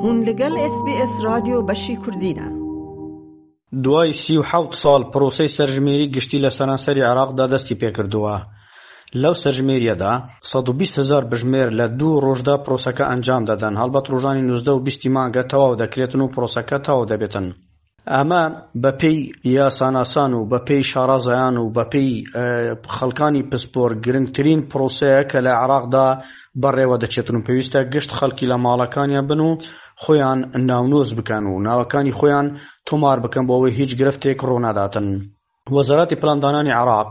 هون لەگەڵ ئێس بی ئێس ڕادیۆ بەشی کوردینە. دوای 37 ساڵ پرۆسەی سەرژمێری گشتی لە سەرانسەری عێراقدا دەستی پێکردووە. لەو سەرژمێرییەدا 120 هەزار بژمێر لە دوو ڕۆژدا پرۆسەکە ئەنجام دەدەن، هەڵبەت ڕۆژانی 19 و 20 مانگە تەواو دەکرێتن و پرۆسەکە تەواو دەبێتن. ئەمە بەپێی یاساناسان و بەپێی شارەزایان و بەپێی خەڵکانی پسپۆر گرنگترین پرۆسەیە کە لە عێراقدا بەڕێوە دەچێتن و پێویستە گشت خەڵکی لە ماڵەکانیان بن و خۆیان ناونووس بکەن و ناوەکانی خۆیان تۆمار بکەن بۆ ئەوەی هیچ گرفتێک ڕووناداتن. وەزارەتی پلاندانانی عێراق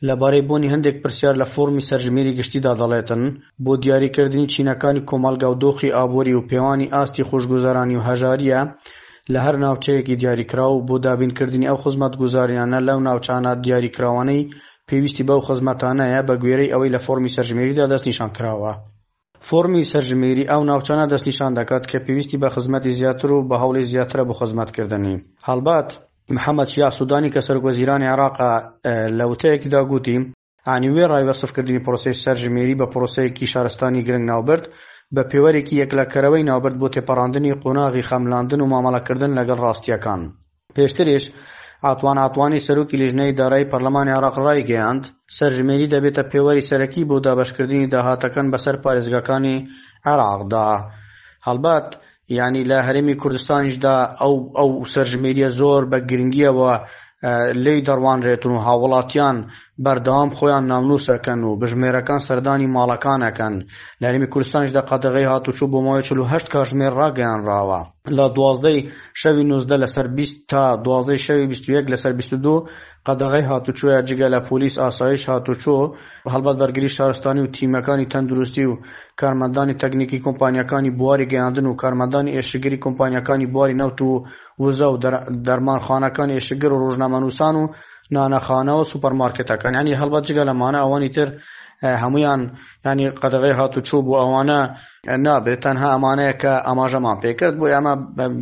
لەبارەی بوونی هەندێک پرسیار لە فۆرمی سەرژمێری گشتیدا دەڵێتن، بۆ دیاریکردنی چینەکانی کۆمەڵگا و دۆخی ئابووری و پێوانی ئاستی خۆشگوزەرانی و هەژارییە لە هەر ناوچەیەکی دیاریکراو بۆ دابینکردنی ئەو خزمەتگوزاریانە لەو ناوچانە دیاریکراوانەی پێویستی بەو خزمەتانەیە بەگوێرەی ئەوەی لە فۆرمی سەرژمێریدا دەستنیشانکراوە. فۆرمی سەرژمێری ئەو ناوچانە دەستنیشان دەکات کە پێویستی بە خزمەتی زیاتر و بە هەوڵی زیاترە بۆ خزمەتکردنی. هەڵبەت محەمەد شیاع سودانی کە سەرۆکوەزیرانی عێراقە لە وتەیەکیدا گوتی، یانی وێڕای وەسفکردنی پرۆسەی سەرژمێری بە پرۆسەیەکی شارستانی گرنگ ناوبرد، بە پێوەرێکی یەکلاکەرەوەی ناوبرد بۆ تێپەڕاندنی قۆناغی خەملاندن و مامەڵەکردن لەگەڵ ڕاستییەکان. پێشتریش عەتوان عەتوانی سەرۆکی لیژنەی دارایی پەرلەمانی عێراق ڕایگەیاند، سەرژمێری دەبێتە پێوەری سەرەکی بۆ دابەشکردنی داهاتەکان بەسەر پارێزگاکانی عێراقدا. هەڵبەت یانی لە هەرێمی کوردستانیشدا ئەو ئەو سەرژمێریە زۆر بە گرنگیەوە لێی دەڕوانرێتن و هاوڵاتیان بەردەوام خۆیان ناونووسەکەن و بژمێرەکان سەردانی ماڵەکان ئەکەن. لە هەرێمی کوردستانیشدا قەدەغەی هاتوچۆ بۆ ماوەی 48 کاژمێر ڕاگەیانراوە. لە دوازدەی شەوی 19 لەسەر 20 تا دوازدەی شەوی 21 لەسەر 22 قەدەغەی هاتوچۆیە جگە لە پۆلیس ئاسایش هاتوچۆ هەڵبەت بەرگری شارستانی و تیمەکانی تەندروستی و کارمەندانی تەکنیکی کۆمپانیاکانی بواری گەیاندن و کارمەندانی ئێشکگری کۆمپانیاکانی بواری نەوت و وزە و دەرمانخانەکانی ئێشکگر و ڕۆژنامەنووسان و نانەخانە و سوپەرمارکێتەکان یانی هەڵبەت جگە لەمانە ئەوانی تر هەمویان ینی قەدەغەی هاتوچۆ بۆ ئەوانە نابێت تەنها ئەمانەیە کە ئاماژەمان پێکرد بۆ ئەمە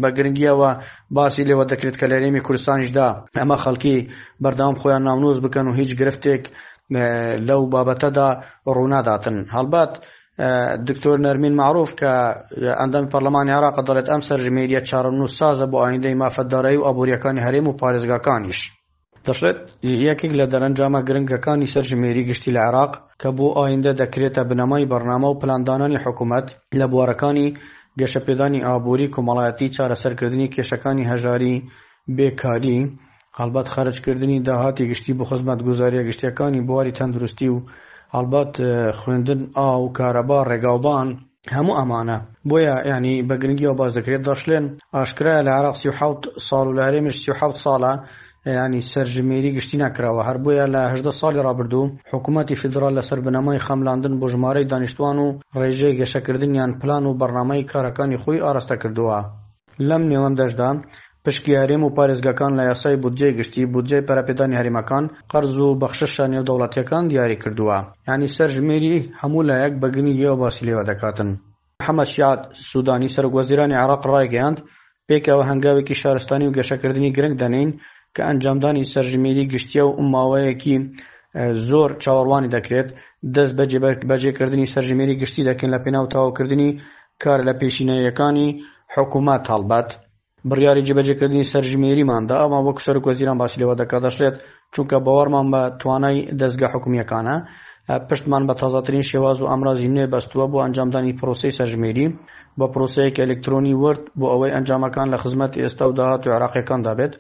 بە گرنگیەوە باسی لێوە دەکرێت کە لە هەرێمی کوردستانیشدا ئەمە خەڵکی بەردەوام خۆیان ناونووس بکەن و هیچ گرفتێک لەو بابەتەدا ڕووناداتن هەڵبەت دکتۆر نەرمین مەعروف کە ئەندامی پەرلەمانی عێراق دەڵێت ئەم سەرژمێریە چارەنووسسازە بۆ ئایندەی مافە دارایی و ئابووریەکانی هەرێم و پارێزگاکانیش. دەشڵێت، یەکێک لە دەرەنجامە گرنگەکانی سەرژمێری گشتی لە عێراق کە بۆ ئایندە دەکرێتە بنەمای بەرنامە و پلاندانانی حکومەت لە بوارەکانی گەشەپێدانی ئابووری، کۆمەڵایەتی، چارەسەرکردنی کێشەکانی هەژاری، بێکاری، هەڵبەت خەرجکردنی داهاتی گشتی بۆ خزمەتگوزارییە گشتییەکانی بواری تەندروستی و هەڵبەت خوێندن، ئاو، کارەبا، ڕێگاوبان، هەموو ئەمانە. بۆیە یانی بە گرنگیەوە باس دەکرێت. دەشڵێن ئاشکرایە لە عێراق 37 ساڵ و لە هەرێمیش 37 ساڵە یانی سەرژمێری گشتی نەکراوە، هەر بۆیە لە 18 ساڵی ڕابردوو حکوومەتی فیدراڵ لەسەر بنەمای خەملاندن بۆ ژمارەی دانیشتووان و ڕێژەی گەشەکردنیان پلان و بەرنامەی کارەکانی خۆی ئاراستە کردووە. لەم نێوەندەشدا پشکی هەرێم و پارێزگاکان لە یاسای بودجەی گشتی، بودجەی پەرەپێدانی هەرێمەکان، قەرز و بەخششە نێودەوڵەتییەکان دیاری کردووە. یانی سەرژمێری هەموو لایەک بە گرنگییەوە باسی لێوە دەکاتن. محەمەد شیاع سودانی، سەرۆکوەزیرانی عێراق ڕایگەیاند، پێکەوە هەنگاوێکی شارستانی و گەشەکردنی گرنگ دەنێین کە ئەنجامدانی سەرژمێری گشتییە و ماوەیەکی زۆر چاوەڕوانی دەکرێت، دەست بە جێبەجێکردنی سەرژمێری گشتی دەکەین لەپێناو تەواوکردنی کارە لەپێشینەییەکانی حکومەت هەڵبەت بڕیاری جێبەجێکردنی سەرژمێریمان دا، ئەمە وەک سەرۆک وەزیران باسی لێوە دەکات دەشڵێت چونکە باوەڕمان بە توانای دەزگا حکومییەکانە پشتمان بە تازەترین شێواز و ئامرازی نوێ بەستووە بۆ ئەنجامدانی پرۆسەی سەرژمێری بە پرۆسەیەکی ئەلکترۆنی ورد بۆ ئەوەی ئەنجامەکان لە خزمەت ئێستا و داهاتووی عێراقیەکاندا بێت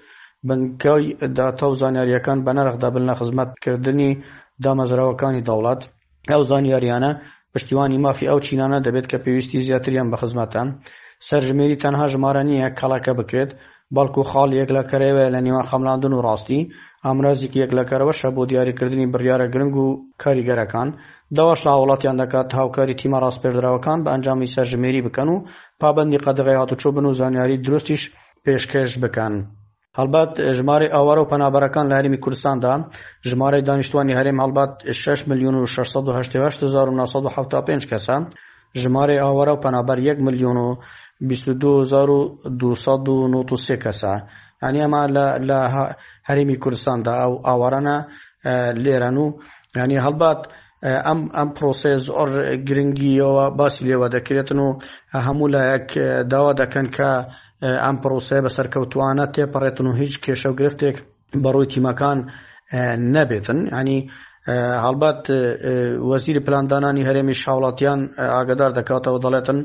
بنکەی داتا و زانیارییەکان بە نرخ دەبن لە خزمەتکردنی دامەزراوەکانی دەوڵەت. ئەو زانیاریانە پشتیوانی مافی ئەو چینانە دەبێت کە پێویستی زیاتریان بە خزمەتە. سەرژمێری تەنها ژمارە نییە کەڵەکە بکرێت، بەڵکو خاڵی یەکلاکەرەوەیە لە نێوان خەملاندن و ڕاستی، ئامرازێکی یەکلاکەرەوەشە بۆ دیاریکردنی بڕیارە گرنگ و کاریگەرەکان. داواش لە هاوڵاتیان دەکات هاوکاری تیمە ڕاسپێردراوەکان بە ئەنجامی سەرژمێری بکەن و پابەندی قەدەغەی هاتوچۆ بن و زانیاری دروستیش پێشکەش بکەن. هەڵبەت ژمارەی ئاوارە و پەنابەرەکان لە هەرێمی کوردستاندا، ژمارەی دانیشتوانی هەرێم هەڵبەت 6 ملیۆن و 688 هەزار و 975 کەسە، ژمارەی ئاوارە و پەنابەر 1 ملیۆن و 22 هەزار و 293 کەسە. یعنی ئەمە لە لە هەرێمی کوردستاندا ئەو ئاوارانە لێرەن و یعنی هەڵبەت. ئەم ئەم پرۆسەیە زۆر گرنگیەوە باسی لێوە دەکرێتن و هەموو لایەک داوا دەکەن کە ئەم پرۆسەیە بە سەرکەوتوانە تێپەڕێتن و هیچ کێشە و گرفتێک بەڕووی تیمەکان نەبێتن ینی هەڵبەت وەزیری پلاندانانی هەرێمی هاوڵاتیان ئاگدار دەکاتەوە دەڵێتن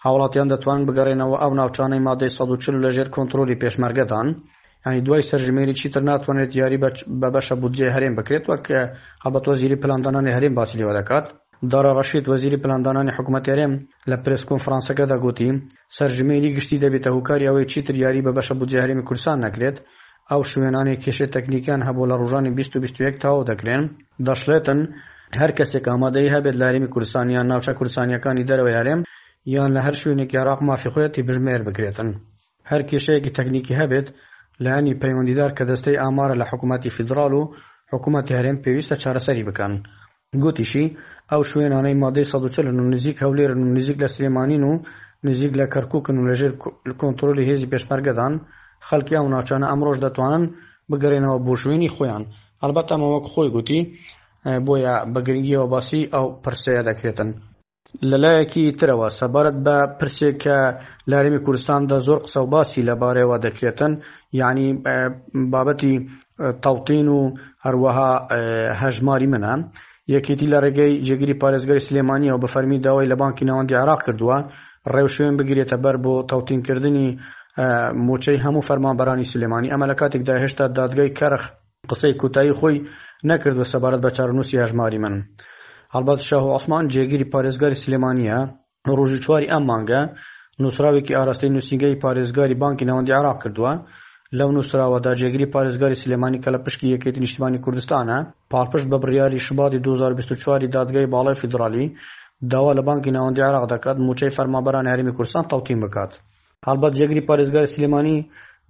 هاوڵاتیان دەتوانن بگەڕێنەوە ئەو ناوچانەی مادەی 140 لەژێر کۆنتترۆلی پێشمەرگەدان ینی دوای سەرژمێری چیتر ناتوانێت یاری بە بەشە بودجەی هەرێم بکرێت وەک هەڵبەت وەزیری پلاندانانی هەرێم باسی لێوە دەکات. دارا ڕەشید وەزیری پلاندانانی حکوومەتی هەرێم لە پرێس کۆنفرانسەکەدا گوتی، سەرژمێری گشتی دەبێتە هۆکاری ئەوەی چیتر یاری بە بەشە بودجەی هەرێمی کوردستان نەکرێت، ئەو شوێنانەی کێشەی تەکنیکیان هەبوو لە ڕۆژانی 20 و 21 تەواو دەکرێن. دەشڵێتن، هەر کەسێک ئامادەیی هەبێت لە هەرێمی کوردستان یان ناوچە کوردستانییەکانی دەرەوەی هەرێم یان لە هەر شوێنێکی عێراق مافی خۆیەتی بژمێر بکرێتن. هەر کێشەیەکی تەکنیکی هەبێت، لایەنی پەیوەندیدار کە دەستەی ئامارە لە حکوومەتی فیدراڵ و حکوومەتی هەرێم پێویستە چارەسەری بکەن. گوتیشی، ئەو شوێنانەی مادەی 140 ن و نزیک هەولێرن و نزیک لە سلێمانین و نزیک لە کەرکووکن و لەژێر کۆنترۆلی هێزی پێشمەرگەدان، خەڵکی ئەو ناوچانە ئەمڕۆش دەتوانن بگەرێنەوە بۆ شوێنی خۆیان. ئەڵبەتە ئەمە وەک خۆی گوتی، بۆیە بە گرنگییەوە باسی ئەو پرسەیە دەکرێتن. لەلایەکی ترەوە سەبارەت بە پرسێک کە لە هەرێمی کوردستاندا زۆر قسە و باسی لەبارەیەوە دەکرێتن یعنی بابەتی تەوتین و هەروەها هەژماری منە یەکێتی لە ڕێگەی جێگیری پارێزگاری سلێمانیەوە بە فەرمی داوای لە بانکی ناوەندی عێراق کردووە ڕێوشوێن بگرێتە بەر بۆ تەوتینکردنی موچەی هەموو فەرمانبەرانی سلێمانی ئەمە لە کاتێکدا هێشتا دادگای کەرخ قسەی کۆتایی خۆی نەکردووە سەبارەت بە چارەنووسی هەژماری من. هەڵبەت شاهۆ عوسمان جێگیری پارێزگاری سلێمانییە، ڕۆژی چواری ئەم مانگە نووسراوێکی ئاراستەی نووسینگەی پارێزگاری بانکی ناوەندی عێراق کردووە. لەو نووسراوەدا جێگری پارێزگاری سلێمانی کە لە پشکی یەکێتی نیشتیمانی کوردستانە، پاڵپشت بە بڕیاری شوباتی 2024 ی دادگای باڵای فیدراڵی، داوا لە بانکی ناوەندی عێراق دەکات مووچەی فەرمانبەرانی هەرێمی کوردستان تەوتین بکات. هەڵبەت جێگری پارێزگاری سلێمانی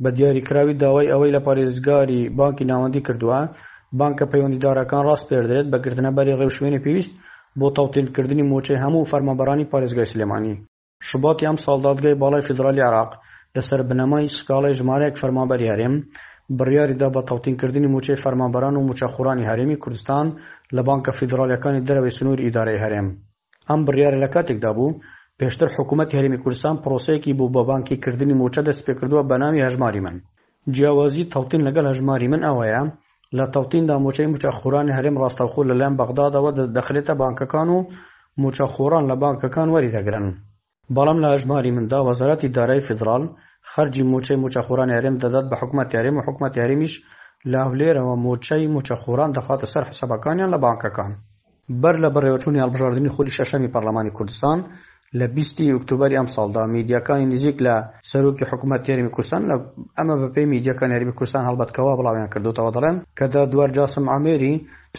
بە دیاریکراوی داوای ئەوەی لە پارێزگاری بانکی ناوەندی کردووە، بانکە پەیوەندیدارەکان ڕاسپێردرێت بە گرتنەبەری ڕێوشوێنی پێویست بۆ تەوتینکردنی مووچەی هەموو فەرمانبەرانی پارێزگای سلێمانی. شوباتی ئەمساڵ دادگای باڵای فیدرالی عێراق لەسەر بنەمای سکاڵای ژمارەیەک فەرمانبەری هەرێم، بڕیاریدا بە تەوتینکردنی مووچەی فەرمانبەران و مووچەخۆرانی هەرێمی کوردستان لە بانکە فیدراڵییەکانی دەرەوەی سنووری ئیدارەی هەرێم. ئەم بڕیارە لە کاتێکدا بوو، پێشتر حکوومەتی هەرێمی کوردستان پرۆسەیەکی بۆ بەبانکی کردنی مووچە دەستپێکردووە بە ناوی هەژماری من. جیاوازی تەوتین لەگەڵ هەژماری من ئەوەیە، لە تەوتیندا مووچەی مووچەخۆرانی هەرێم ڕاستەوخۆ لەلایەن بەغدادەوە دەخرێتە بانکەکان و مووچەخۆران لە بانکەکان وەریدەگرن. بەڵام لە هەژماری مندا وەزارەتی دارایی فیدراڵ خەرجی مووچەی مووچەخۆرانی هەرێم دەدات بە حکومەتی هەرێم و حکومەتی هەرێمیش لە هەولێرەوە مووچەی مووچەخۆران دەخاتە سەر حسابەکانیان لە بانکەکان. بەر لە بەڕێوەچوونی هەڵبژاردنی خولی شەشەمی پەرلەمانی کوردستان لە 20 ی ئۆکتۆبەری ئەمساڵدا میدیاکانی نزیک لە سەرۆکی حکومەتی هەرێمی کوردستان لە ئەمە بەپێی میدیاکانی هەرێمی کوردستان هەڵبەت کەوا بڵاویان کردوتەوە دەڵێن کە دادوەر جاسم عامێری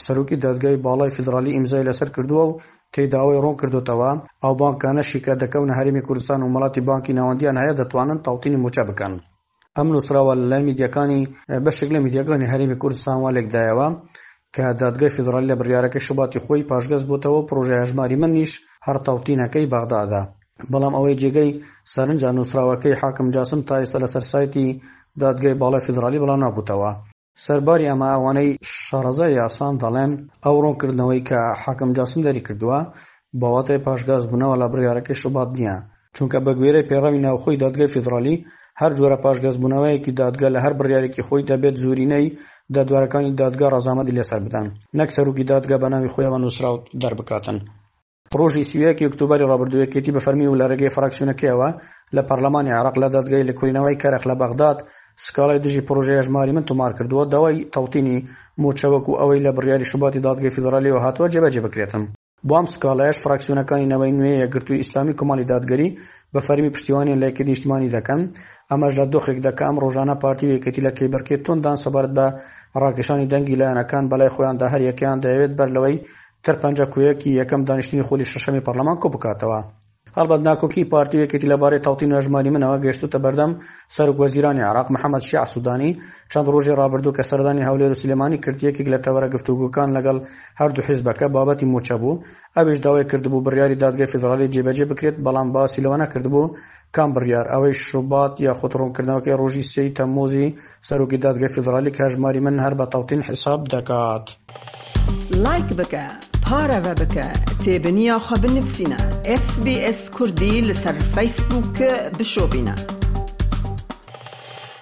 سەرۆکی دادگای باڵای فیدراڵی ئیمزای لەسەر کردووە و تێیدا ئەوەی ڕوون کردۆتەوە، ئەو بانکانەشی کە دەکەونە هەرێمی کوردستان و مۆڵەتی بانکی ناوەندییان هەیە دەتوانن تەوتینی مووچە بکەن. ئەم نووسراوە لەلایەن میدیاکانی بەشێک لە میدیاکانی هەرێمی کوردستان وا لێکدایەوە کە دادگای فیدراڵی لە بڕیارەکەی شوباتی خۆی پاشگەز بۆتەوە و پڕۆژەی هەژماری منیش هەر تەوتینەکەی بەغدادە. بەڵام ئەوەی جێگەی سەرنجە نووسراوەکەی حاکم جاسم تا ئێستا لەسەر سایتی دادگای باڵای فیدراڵی بڵاو نابووتەوە. سەرباری ئەمە ئەوانەی شارەزای یاسان دەڵێن ئەو ڕوونکردنەوەی کە حاکم جاسم دەریکردووە بە واتای پاشگەزبوونەوە لە بڕیارەکەی شوبات نییە، چونکە بەگوێرەی پەیڕەوی ناوخۆی دادگای فیدڕالی هەر جۆرە پاشگەزبوونەوەیەکی دادگا لە هەر بڕیارێکی خۆی دەبێت زۆرینەی دادوەرەکانی دادگا ڕەزامەندی لەسەر بدەن نەک سەرۆکی دادگا بەناوی خۆیەوە نووسراو دەربکاتن. ڕۆژی 31 ی ئۆکتۆبەری ڕابردوو یەکێتی بە فەرمی و لە ڕێگەی فراکسیۆنەکەیەوە لە پەرلەمانی عێراق لە دادگای لێکۆڵینەوەی کەرخ لە بەغداد سکاڵای دژی پڕۆژەی هەژماری من تۆمار کردووە داوای تەوتینی مووچە وەکو ئەوەی لە بڕیاری شوباتی دادگای فیدرالیەوە هاتووە جێبەجێ بکرێتن. بۆ ئەم سکاڵایەش فراکسیۆنەکانی نەوەی نوێ، یەکگرتووی ئیسلامی، کۆمەڵی دادگەری بە فەرمی پشتیوانیان لە یەکێتی نیشتیمانی دەکەن، ئەمەش لە دۆخێکدا کە ئەم ڕۆژانە پارتی و یەکێتی لە کێبڕکێ تونددان سەبارەت بە ڕاکێشانی دەنگی لایەنەکان بەلای خۆیاندا هەریەکەیان دەیەوێت بەر لەوەی تر پەنجە کۆیەکی یەکەم دانیشتنی خولی شەشەمی پەرلەمان کۆبکاتەوە. هەڵبەت ناکۆکیی پارتی و یەکێتی لەبارەی تەوتین و هەژماری منەوە گەیشتووتە بەردەم سەرۆک وەزیرانی عێراق محەمەد شیاع سودانی، چەند ڕۆژی ڕابردوو کە سەردانی هەولێر و سلێمانی کرد یەکێک لە تەوەرە گفتوگۆکان لەگەڵ هەردوو حیزبەکە بابەتی مووچە بوو، ئەویش داوای کردبوو بڕیاری دادگای فیدڕاڵی جێبەجێ بکرێت، بەڵام باسی لەوە نەکردبوو کام بڕیار، ئەوەی شوبات یاخود ڕوونکردنەوەکەی ڕۆژی سێی تەمموزی سەرۆکی دادگای فیدڕالی کە هەژماری من هەر بە تەوتین حیساب دەکات. لایک بکە. Pareve bike, têbiniya xwe binivîsîne, SBS Kurdî li ser Facebook bişopîne.